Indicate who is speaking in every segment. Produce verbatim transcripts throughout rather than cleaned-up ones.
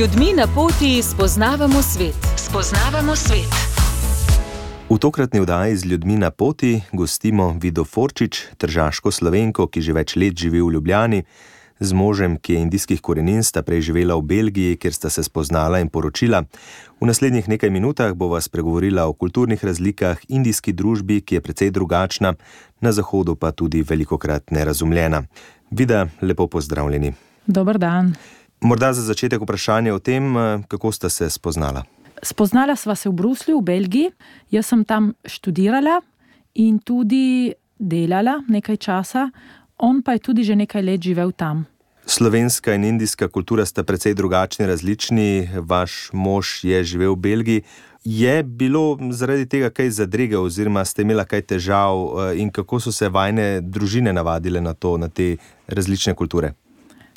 Speaker 1: ljudmi na poti spoznavamo svet. Spoznavamo svet.
Speaker 2: V tokratni oddaji Z ljudmi na poti gostimo Vido Forčič, tržaško Slovenko, ki že več let živi v Ljubljani. Z možem, ki je indijskih korenin, sta prej živela v Belgiji, kjer sta se spoznala in poročila. V naslednjih nekaj minutah bova spregovorila o kulturnih razlikah, indijski družbi, ki je precej drugačna, na zahodu pa tudi velikokrat nerazumljena. Vida, lepo pozdravljeni.
Speaker 3: Dober dan.
Speaker 2: Morda za začetek vprašanje o tem, kako sta se spoznala.
Speaker 3: Spoznala sva se v Bruslju, v Belgiji. Jaz sem tam študirala in tudi delala nekaj časa. On pa je tudi že nekaj let živel tam.
Speaker 2: Slovenska in indijska kultura sta precej drugačni, različni. Vaš mož je živel v Belgiji. Je bilo zaradi tega kaj zadrege oziroma ste imela kaj težav in kako so se vajine družine navadile na to, na te različne kulture?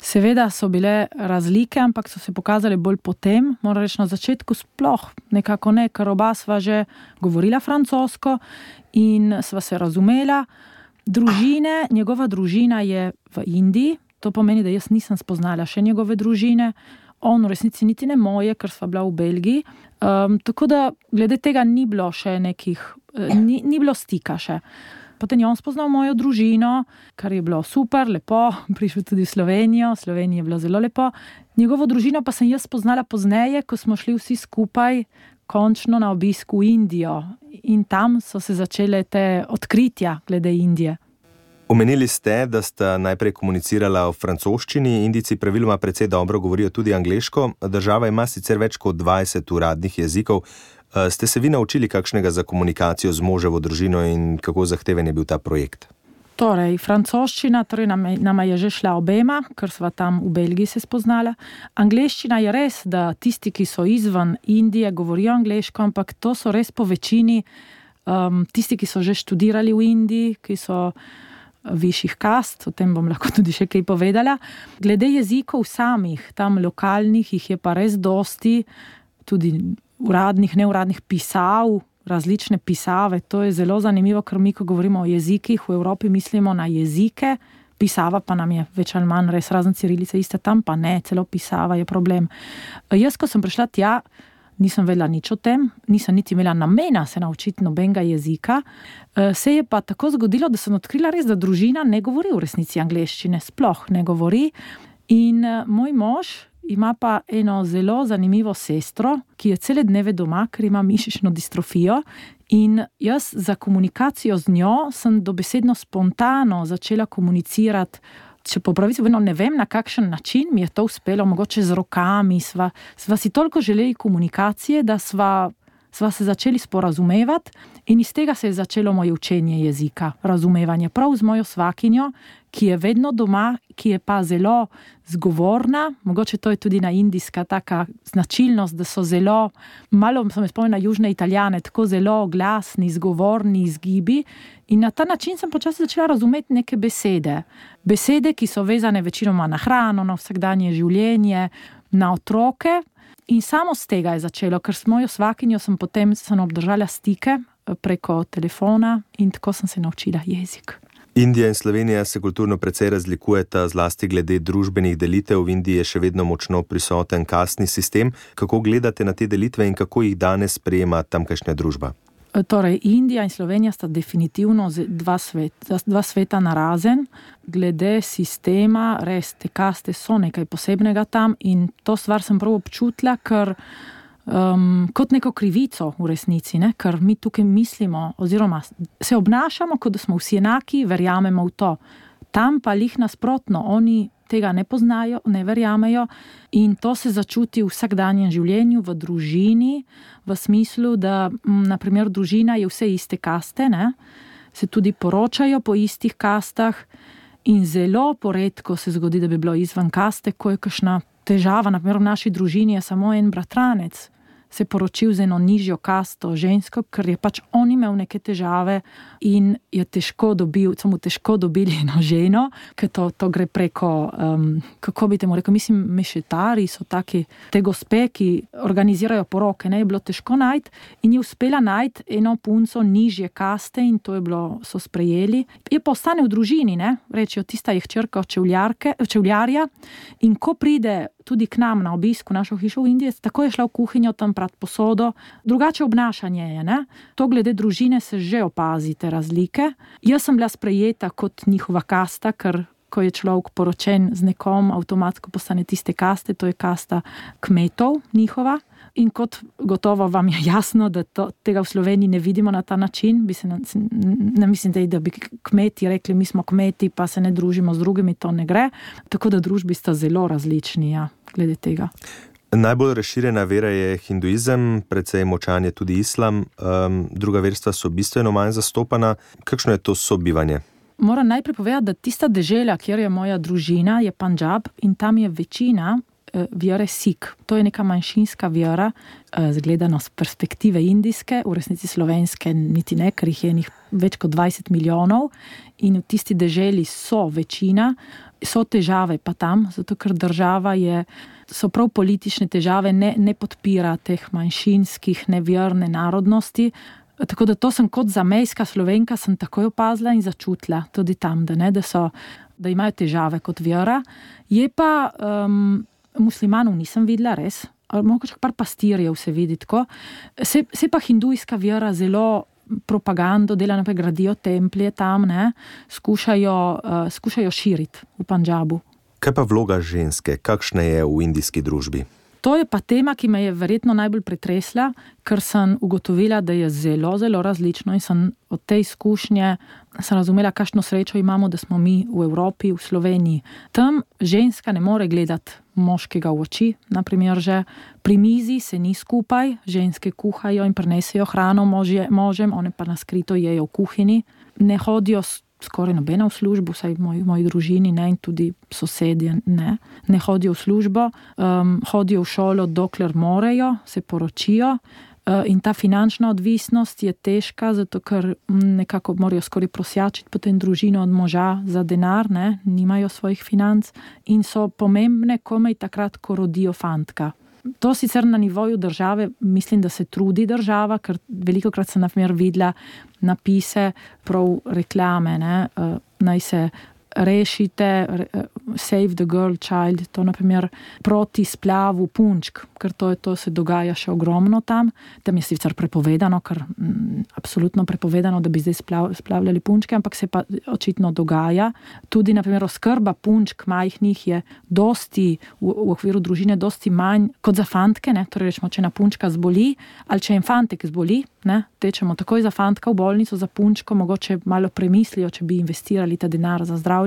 Speaker 3: Seveda so bile razlike, ampak so se pokazali bolj potem. Moram reči, na začetku sploh nekako ne, ker oba sva že govorila francosko in sva se razumela. Družine, njegova družina je v Indiji, to pomeni, da jaz nisem spoznala še njegove družine, on v resnici niti ne moje, ker sva bila v Belgiji. Um, tako da glede tega ni bilo še nekih, ni, ni bilo stika še. Potem je on spoznal mojo družino, kar je bilo super, lepo, prišel tudi v Slovenijo, v Sloveniji je bilo zelo lepo. Njegovo družino pa sem jaz spoznala pozneje, ko smo šli vsi skupaj končno na obisk v Indijo. In tam so se začele te odkritja glede Indije.
Speaker 2: Omenili ste, da sta najprej komunicirala v francoščini, Indijci praviloma precej dobro govorijo tudi angleško. Država ima sicer več kot dvajset uradnih jezikov. Ste se vi naučili kakšnega za komunikacijo z moževo družino in kako zahteven je bil ta projekt?
Speaker 3: Torej, francoščina, torej nama je že šla obema, ker sva tam v Belgiji se spoznala. Angleščina je res, da tisti, ki so izven Indije, govorijo angleško, ampak to so res po večini um, tisti, ki so že študirali v Indiji, ki so višjih kast, o tem bom lahko tudi še kaj povedala. Glede jezikov samih, tam lokalnih, jih je pa res dosti, tudi uradnih, neuradnih pisav, različne pisave. To je zelo zanimivo, ker mi, ko govorimo o jezikih, v Evropi mislimo na jezike, pisava pa nam je več ali manj res razen cirilice iste, tam pa ne, celo pisava je problem. Jaz, ko sem prišla tja, nisem vedela nič o tem, nisem niti imela namena se naučiti nobenega jezika. Se je pa tako zgodilo, da sem odkrila res, da družina ne govori v resnici angleščine, sploh ne govori. In moj mož ima pa eno zelo zanimivo sestro, ki je cele dneve doma, ker ima mišično distrofijo. In jaz za komunikacijo z njo sem dobesedno spontano začela komunicirati. Če po pravici vedno ne vem, na kakšen način mi je to uspelo, mogoče z rokami. Sva, sva si toliko želeli komunikacije, da sva, sva se začeli sporazumevati in iz tega se je začelo moje učenje jezika, razumevanje. Prav z mojo svakinjo, ki je vedno doma, ki je pa zelo zgovorna, mogoče to je tudi na indijska taka značilnost, da so zelo, malo sem spomnila na južne Italijane, tako zelo glasni, zgovorni, izgibi. In na ta način sem počasi začela razumeti neke besede. Besede, ki so vezane večinoma na hrano, na vsakdanje življenje, na otroke. In samo z tega je začelo, ker s mojo svakinjo sem potem sem obdržala stike preko telefona in tako sem se naučila jezik.
Speaker 2: Indija in Slovenija se kulturno precej razlikujeta, zlasti glede družbenih delitev. V Indiji je še vedno močno prisoten kastni sistem. Kako gledate na te delitve in kako jih danes sprejema tamkajšnja družba?
Speaker 3: Torej, Indija in Slovenija sta definitivno dva sveta, dva sveta narazen. Glede sistema, res te kaste so nekaj posebnega tam in to stvar sem prav občutila, ker Um, kot neko krivico v resnici, ne? Ker mi tukaj mislimo oziroma se obnašamo, kot da smo vsi enaki, verjamemo v to. Tam pa lih nasprotno, oni tega ne poznajo, ne verjamejo in to se začuti v vsakdanjem življenju, v družini, v smislu, da na primer družina je vse iste kaste, ne? Se tudi poročajo po istih kastah in zelo poredko se zgodi, da bi bilo izven kaste, ko je kakšna težava, na primer v naši družini je samo en bratranec. se poročil z eno nižjo kasto žensko, ker je pač on imel neke težave in je težko dobil, so mu težko dobili eno ženo, ker to, to gre preko, um, kako bi temu rekel, mislim, mešetari so taki, te gospe, ki organizirajo poroke, ne, je bilo težko najti in je uspela najti eno punco nižje kaste in to je bilo, so sprejeli. Je pa ostane v družini, ne, rečejo, tista je hčerka čevljarja in ko pride tudi k nam na obisk v našo hišo v Indiji, tako je šla v kuhinjo tam prat posodo. Drugače obnašanje je, ne. To glede družine se že opazi te razlike. Jaz sem bila sprejeta kot njihova kasta, ker ko je človek poročen z nekom, avtomatsko postane tiste kaste, to je kasta kmetov njihova. In kot gotovo vam je jasno, da to, tega v Sloveniji ne vidimo na ta način, bi se, ne mislim, da bi kmeti rekli, mi smo kmeti, pa se ne družimo z drugimi, to ne gre. Tako da družbi sta zelo različni, ja, glede tega.
Speaker 2: Najbolj razširjena vera je hinduizem, precej močan je tudi islam, um, druga verstva so bistveno manj zastopana. Kakšno je to sobivanje?
Speaker 3: Moram najprej povedati, da tista dežela, kjer je moja družina, je Pandžab in tam je večina vere Sikh. To je neka manjšinska vera, zgledano z perspektive indijske, v resnici slovenske niti ne, ker jih je njih več kot dvajset milijonov in v tisti deželi so večina, so težave pa tam, zato ker država je, so prav politične težave, ne, ne podpira teh manjšinskih, neverne narodnosti. Tako da to sem kot zamejska Slovenka sem takoj opazila in začutila tudi tam, da, ne, da, so, da imajo težave kot vera. Je pa um, muslimanov nisem videla, res, mogoče par pastirjev se vidi tako. Se, se pa hindujska vera zelo propagando dela, naprej gradijo templje tam, ne, skušajo, uh, skušajo širiti v Pandžabu.
Speaker 2: Kaj pa vloga ženske? Kakšna je v indijski družbi?
Speaker 3: To je pa tema, ki me je verjetno najbolj pretresla, ker sem ugotovila, da je zelo, zelo različno in sem od te izkušnje sem razumela, kakšno srečo imamo, da smo mi v Evropi, v Sloveniji. Tam ženska ne more gledati moškega v oči, naprimer že pri mizi se ni skupaj, ženske kuhajo in prinesejo hrano možje, možem, one pa na skrito jejo v kuhinji, ne hodijo skoraj nobena v službo, vsaj v moji, moji družini ne, in tudi sosedje ne, ne hodijo v službo, um, hodijo v šolo, dokler morejo, se poročijo uh, in ta finančna odvisnost je težka, zato ker nekako morajo skoraj prosjačiti potem družino od moža za denar, ne, nimajo svojih financ in so pomembne komaj takrat, ko rodijo fantka. To sicer na nivoju države, mislim, da se trudi država, ker velikokrat sem na primer videla napise, prav reklame, ne, naj se rešite, save the girl child, to na primer proti splavu punčk, ker to, je, to se dogaja še ogromno tam. Tam je sicer prepovedano, ker m, absolutno prepovedano, da bi zdaj splav, splavljali punčke, ampak se pa očitno dogaja. Tudi na primer oskrba punčk majhnih je dosti, v, v okviru družine dosti manj kot za fantke, ne, torej rečemo, če na punčka zboli, ali če en fantek zboli, ne, tečemo takoj za fantka v bolnico, za punčko, mogoče malo premislijo, če bi investirali ta denar za zdravljenje.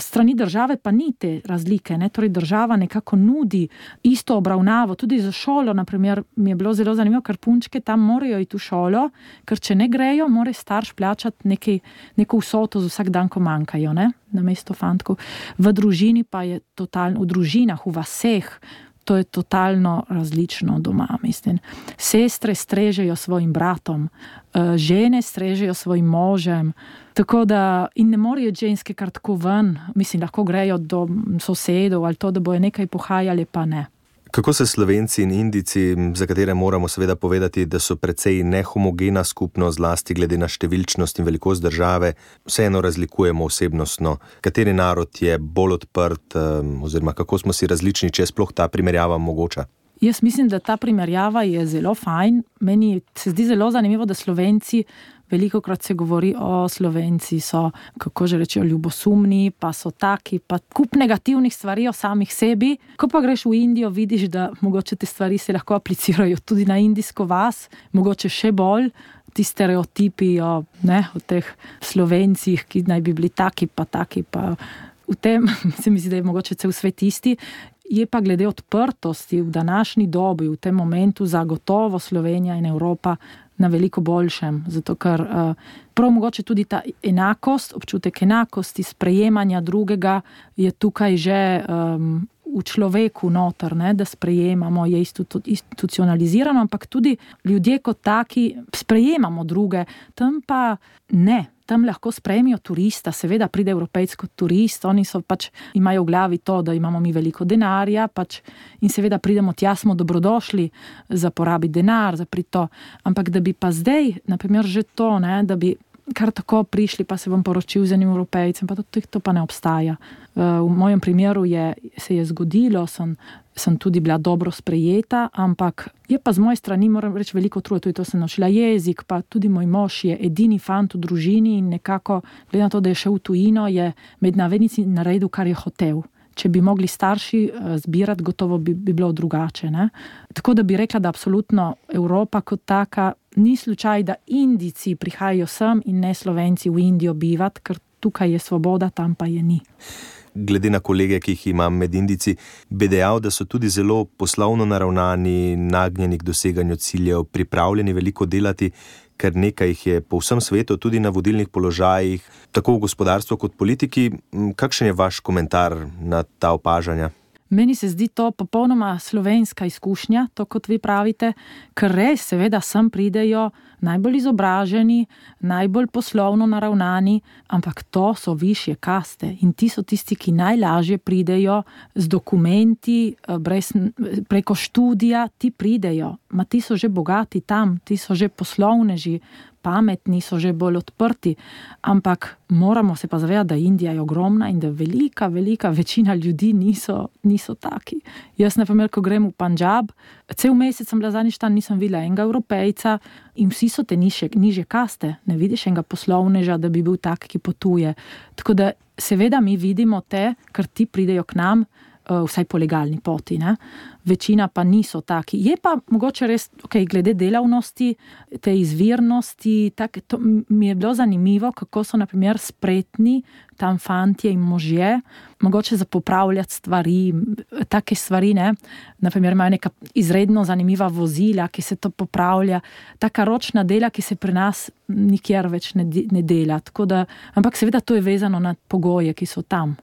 Speaker 3: Strani države pa ni te razlike, ne, torej država nekako nudi isto obravnavo, tudi za šolo, naprimer, mi je bilo zelo zanimivo, ker punčke tam morajo iti v šolo, ker če ne grejo, mora starš plačati neki, neko vsoto za vsak dan, ko manjkajo, ne, namesto fantkov. V družini pa je totalno, v družinah, v vaseh, to je totalno različno doma, mislim. Sestre strežejo svojim bratom, žene strežejo svojim možem, tako da in ne morejo ženske kar tako ven, mislim, lahko grejo do sosedov ali to, da bojo nekaj pohajali, pa ne.
Speaker 2: Kako se Slovenci in Indijci, za katere moramo seveda povedati, da so precej nehomogena skupnost, zlasti glede na številčnost in velikost države, vseeno razlikujemo osebnostno? Kateri narod je bolj odprt, oziroma kako smo si različni, če je sploh ta primerjava mogoča?
Speaker 3: Jaz mislim, da ta primerjava je zelo fajn. Meni se zdi zelo zanimivo, da Slovenci, velikokrat se govori o Slovenci, so, kako že rečejo, ljubosumni, pa so taki, pa kup negativnih stvari o samih sebi. Ko pa greš v Indijo, vidiš, da mogoče te stvari se lahko aplicirajo tudi na indijsko vas, mogoče še bolj, ti stereotipi o, ne, o teh Slovencih, ki naj bi bili taki, pa taki, pa v tem, se mi zdi, da je mogoče cel svet isti. Je pa glede odprtosti v današnji dobi, v tem momentu zagotovo Slovenija in Evropa na veliko boljšem, zato ker uh, prav mogoče tudi ta enakost, občutek enakosti, sprejemanja drugega je tukaj že um, v človeku noter, ne, da sprejemamo, je institucionalizirano, ampak tudi ljudje kot taki sprejemamo druge, tam pa ne. Tam lahko sprejmijo turista, seveda pride Evropejc kot turist, oni so pač, imajo v glavi to, da imamo mi veliko denarja, pač, in seveda pridemo tja, smo dobrodošli za porabiti denar, za prito, ampak da bi pa zdaj, na primer že to, ne, da bi kar tako prišli, pa se bom poročil z enim Evropejcem, pa to, to pa ne obstaja. V mojem primeru je, se je zgodilo, sem, sem tudi bila dobro sprejeta, ampak je pa z moje strani, moram reči, veliko truda, tudi to sem naučila jezik, pa tudi moj mož je edini fant v družini in nekako, glede na to, da je šel v tujino, je med navednici naredil, kar je hotel. Če bi mogli starši zbirati, gotovo bi, bi bilo drugače. Ne? Tako da bi rekla, da absolutno Evropa kot taka ni slučaj, da Indijci prihajajo sem in ne Slovenci v Indijo bivati, ker tukaj je svoboda, tam pa je ni.
Speaker 2: Glede na kolege, ki jih imam med Indijci, bi dejal, da so tudi zelo poslovno naravnani, nagnjeni k doseganju ciljev, pripravljeni veliko delati, ker nekaj jih je po vsem svetu, tudi na vodilnih položajih, tako v gospodarstvu kot politiki. Kakšen je vaš komentar na ta opažanja?
Speaker 3: Meni se zdi to popolnoma slovenska izkušnja, to kot vi pravite, ker res seveda sem pridejo najbolj izobraženi, najbolj poslovno naravnani, ampak to so višje kaste in ti so tisti, ki najlažje pridejo z dokumenti, brez, preko študija, ti pridejo, ma ti so že bogati tam, ti so že poslovneži, pametni, so že bolj odprti, ampak moramo se pa zavedati, da Indija je ogromna in da velika, velika večina ljudi niso, niso taki. Jaz, na primer, ko grem v Pandžab, cel mesec sem bila zadnjič tam, nisem videla enega Evropejca in vsi so te nižje, nižje kaste. Ne vidiš enega poslovneža, da bi bil tak, ki potuje. Tako da seveda mi vidimo te, ker ti pridejo k nam, vsaj po legalni poti, ne? Večina pa niso taki. Je pa mogoče res, okay, glede delavnosti, te izvirnosti, tak, to mi je bilo zanimivo, kako so na primer spretni tam fantje in možje, mogoče za popravljati stvari, take stvari, ne? Na primer imajo neka izredno zanimiva vozila, ki se to popravlja, taka ročna dela, ki se pri nas nikjer več ne, ne dela. Tako da, ampak seveda to je vezano na pogoje, ki so tam.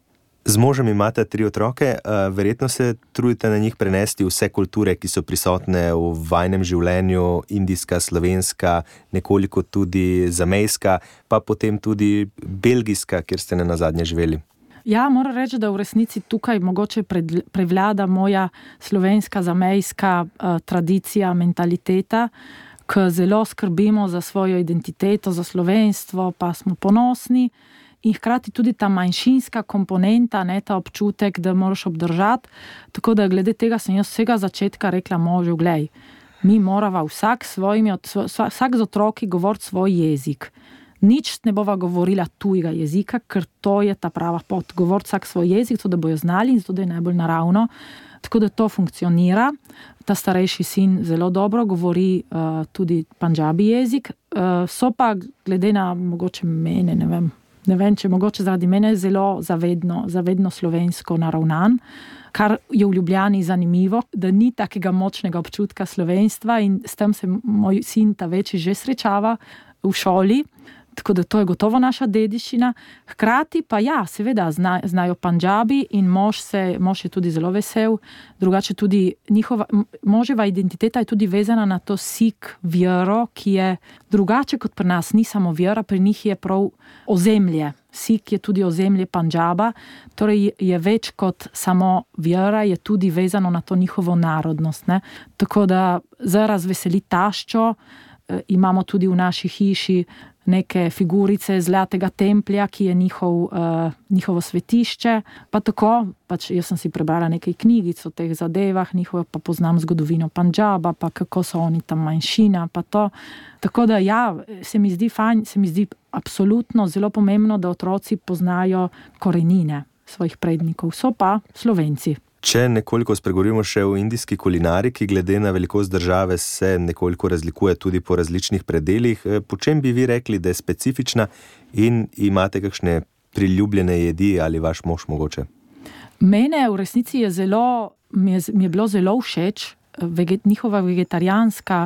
Speaker 2: Z možem imate tri otroke, verjetno se trudite na njih prenesti vse kulture, ki so prisotne v vajnem življenju, indijska, slovenska, nekoliko tudi zamejska, pa potem tudi belgijska, kjer ste ne nazadnje živeli.
Speaker 3: Ja, moram reči, da v resnici tukaj mogoče prevlada moja slovenska, zamejska uh, tradicija, mentaliteta, ko zelo skrbimo za svojo identiteto, za slovenstvo, pa smo ponosni. In hkrati tudi ta manjšinska komponenta, ne, ta občutek, da moraš obdržati. Tako da glede tega sem jaz vsega začetka rekla možu, glej, mi morava vsak, svojimi, vsak z otroki govoriti svoj jezik. Nič ne bova govorila tujega jezika, ker to je ta prava pot. Govoriti vsak svoj jezik, to da bojo znali in to da je najbolj naravno. Tako da to funkcionira. Ta starejši sin zelo dobro govori uh, tudi pandžabi jezik. Uh, so pa glede na mogoče mene, ne vem, Ne vem, če mogoče zaradi mene zelo zavedno, zavedno slovensko naravnan, kar je v Ljubljani zanimivo, da ni takega močnega občutka slovenstva in s tem se moj sin ta večji že srečava v šoli, tako da to je gotovo naša dediščina. Hkrati pa ja, seveda zna, znajo pandžabi in mož, se, mož je tudi zelo vesel, drugače tudi njihova, moževa identiteta je tudi vezana na to sik vjero, ki je drugače kot pri nas, ni samo vjera, pri njih je prav ozemlje. Sik je tudi ozemlje Pandžaba, torej je več kot samo vjera, je tudi vezano na to njihovo narodnost. Ne? Tako da za razveseli taščo imamo tudi v naši hiši neke figurice zlatega templja, ki je njihov, uh, njihovo svetišče. Pa tako, pač jaz sem si prebrala nekaj knjigic o teh zadevah, njihovo pa poznam zgodovino Pandžaba, pa kako so oni tam manjšina, pa to. Tako da ja, se mi zdi fajn, se mi zdi absolutno zelo pomembno, da otroci poznajo korenine svojih prednikov. So pa Slovenci.
Speaker 2: Če nekoliko spregovorimo še o indijski kulinariki, glede na velikost države se nekoliko razlikuje tudi po različnih predelih. Po čem bi vi rekli, da je specifična in imate kakšne priljubljene jedi ali vaš mož mogoče?
Speaker 3: Mene v resnici je zelo, mi je, mi je bilo zelo všeč veget, njihova vegetarijanska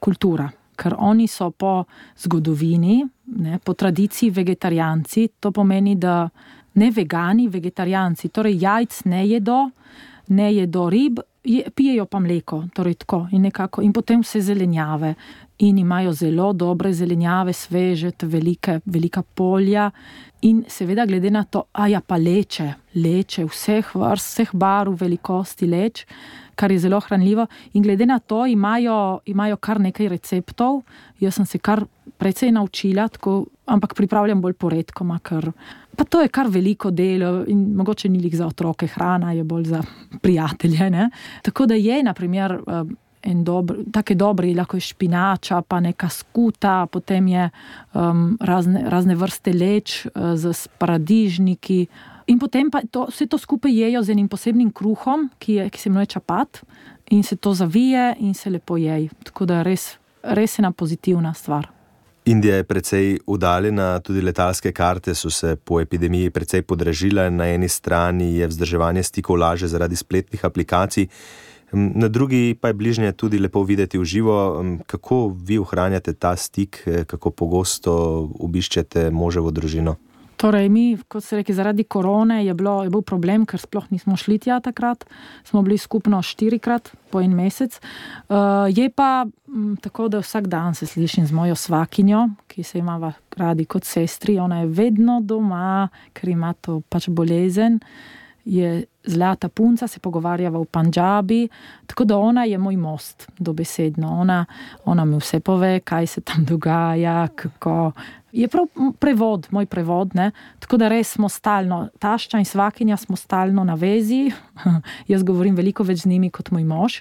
Speaker 3: kultura, ker oni so po zgodovini, ne, po tradiciji vegetarijanci, to pomeni, da ne vegani, vegetarijanci, torej jajc ne jedo, ne jedo rib, je, pijejo pa mleko, torej tako in nekako, in potem vse zelenjave. In imajo zelo dobre zelenjave, sveže, velike, velika polja. In seveda glede na to, a ja pa leče, leče vseh vrst, vseh barv, velikosti leč, kar je zelo hranljivo. In glede na to imajo, imajo kar nekaj receptov. Jaz sem se kar precej naučila, tako, ampak pripravljam bolj poredkoma, ker pa to je kar veliko delo in mogoče ni lih za otroke, hrana je bolj za prijatelje, ne. Tako da je, na primer, en dober, take dobre, lahko je špinača, pa neka skuta, potem je um, razne, razne vrste leč uh, z paradižniki. In potem pa to, vse to skupaj jejo z enim posebnim kruhom, ki, je, ki se imenuje čapat, in se to zavije in se lepo jej. Tako da res, res ena pozitivna stvar.
Speaker 2: Indija je precej udaljena, tudi letalske karte so se po epidemiji precej podražile. Na eni strani je vzdrževanje stikov lažje zaradi spletnih aplikacij, na drugi pa je bližnje tudi lepo videti v živo. Kako vi ohranjate ta stik, kako pogosto obiščete moževo družino?
Speaker 3: Torej, mi, kot se reki, zaradi korone je, bilo, je bil problem, ker sploh nismo šli tja takrat. Smo bili skupno štirikrat po en mesec. Uh, je pa m, tako, da vsak dan se slišim z mojo svakinjo, ki se imava radi kot sestri. Ona je vedno doma, ker ima to pač bolezen. Je zlata punca, se pogovarjava v Pandžabi, tako da ona je moj most, dobesedno. Ona, ona mi vse pove, kaj se tam dogaja, kako... Je prav prevod, moj prevod, ne? Tako da res smo stalno, tašča in svakinja smo stalno na vezi. Jaz govorim veliko več z njimi kot moj mož.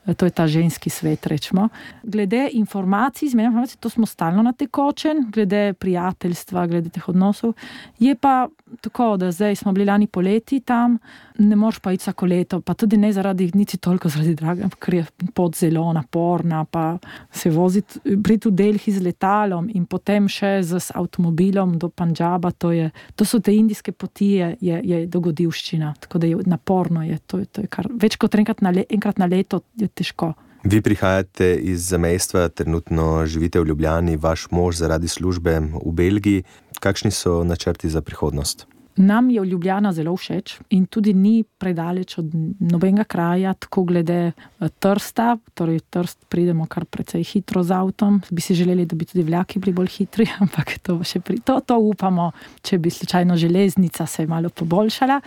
Speaker 3: To je ta ženski svet, rečemo. Glede informacij, izmenjava informacij, to smo stalno na tekočen, glede prijateljstva, glede teh odnosov. Je pa tako, da zdaj smo bili lani poleti tam, ne moreš pa iti vsako leto, pa tudi ne zaradi, niti toliko zaradi draga, ker je pot zelo naporna, pa se voziti, priti v Delhi z letalom in potem še z avtomobilom do Pandžaba, to je, to so te indijske poti, je, je, je dogodivščina, tako da je naporno, je, to, to je kar, več kot enkrat na, le, enkrat na leto je težko.
Speaker 2: Vi prihajate iz zamejstva, trenutno živite v Ljubljani, vaš mož zaradi službe v Belgiji. Kakšni so načrti za prihodnost?
Speaker 3: Nam je Ljubljana zelo všeč in tudi ni predaleč od nobenega kraja, tako glede Trsta, torej Trst pridemo kar precej hitro z avtom. Bi si želeli, da bi tudi vlaki bili bolj hitri, ampak to še pri to, to upamo, če bi slučajno železnica se malo poboljšala.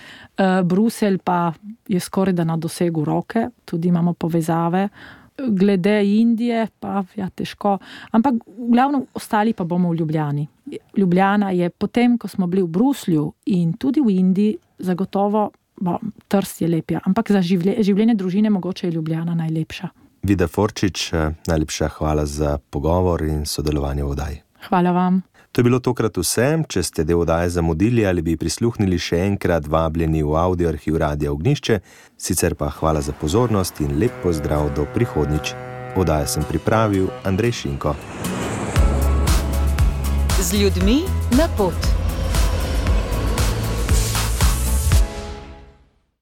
Speaker 3: Bruselj pa je skoraj da na dosegu roke, tudi imamo povezave. Glede Indije pa ja, težko, ampak glavno ostali pa bomo v Ljubljani. Ljubljana je potem, ko smo bili v Bruslju in tudi v Indiji, zagotovo, bo, Trst je lepja, ampak za življe, življenje družine mogoče je Ljubljana najlepša.
Speaker 2: Vida Forčič, najlepša hvala za pogovor in sodelovanje v oddaji.
Speaker 3: Hvala vam.
Speaker 2: To je bilo tokrat vse. Če ste del oddaje zamudili ali bi prisluhnili še enkrat, vabljeni v audio arhiv Radia Ognjišče. Sicer pa hvala za pozornost in lep pozdrav do prihodnjič. Oddajo sem pripravil Andrej Šinko.
Speaker 1: Z ljudmi na pot.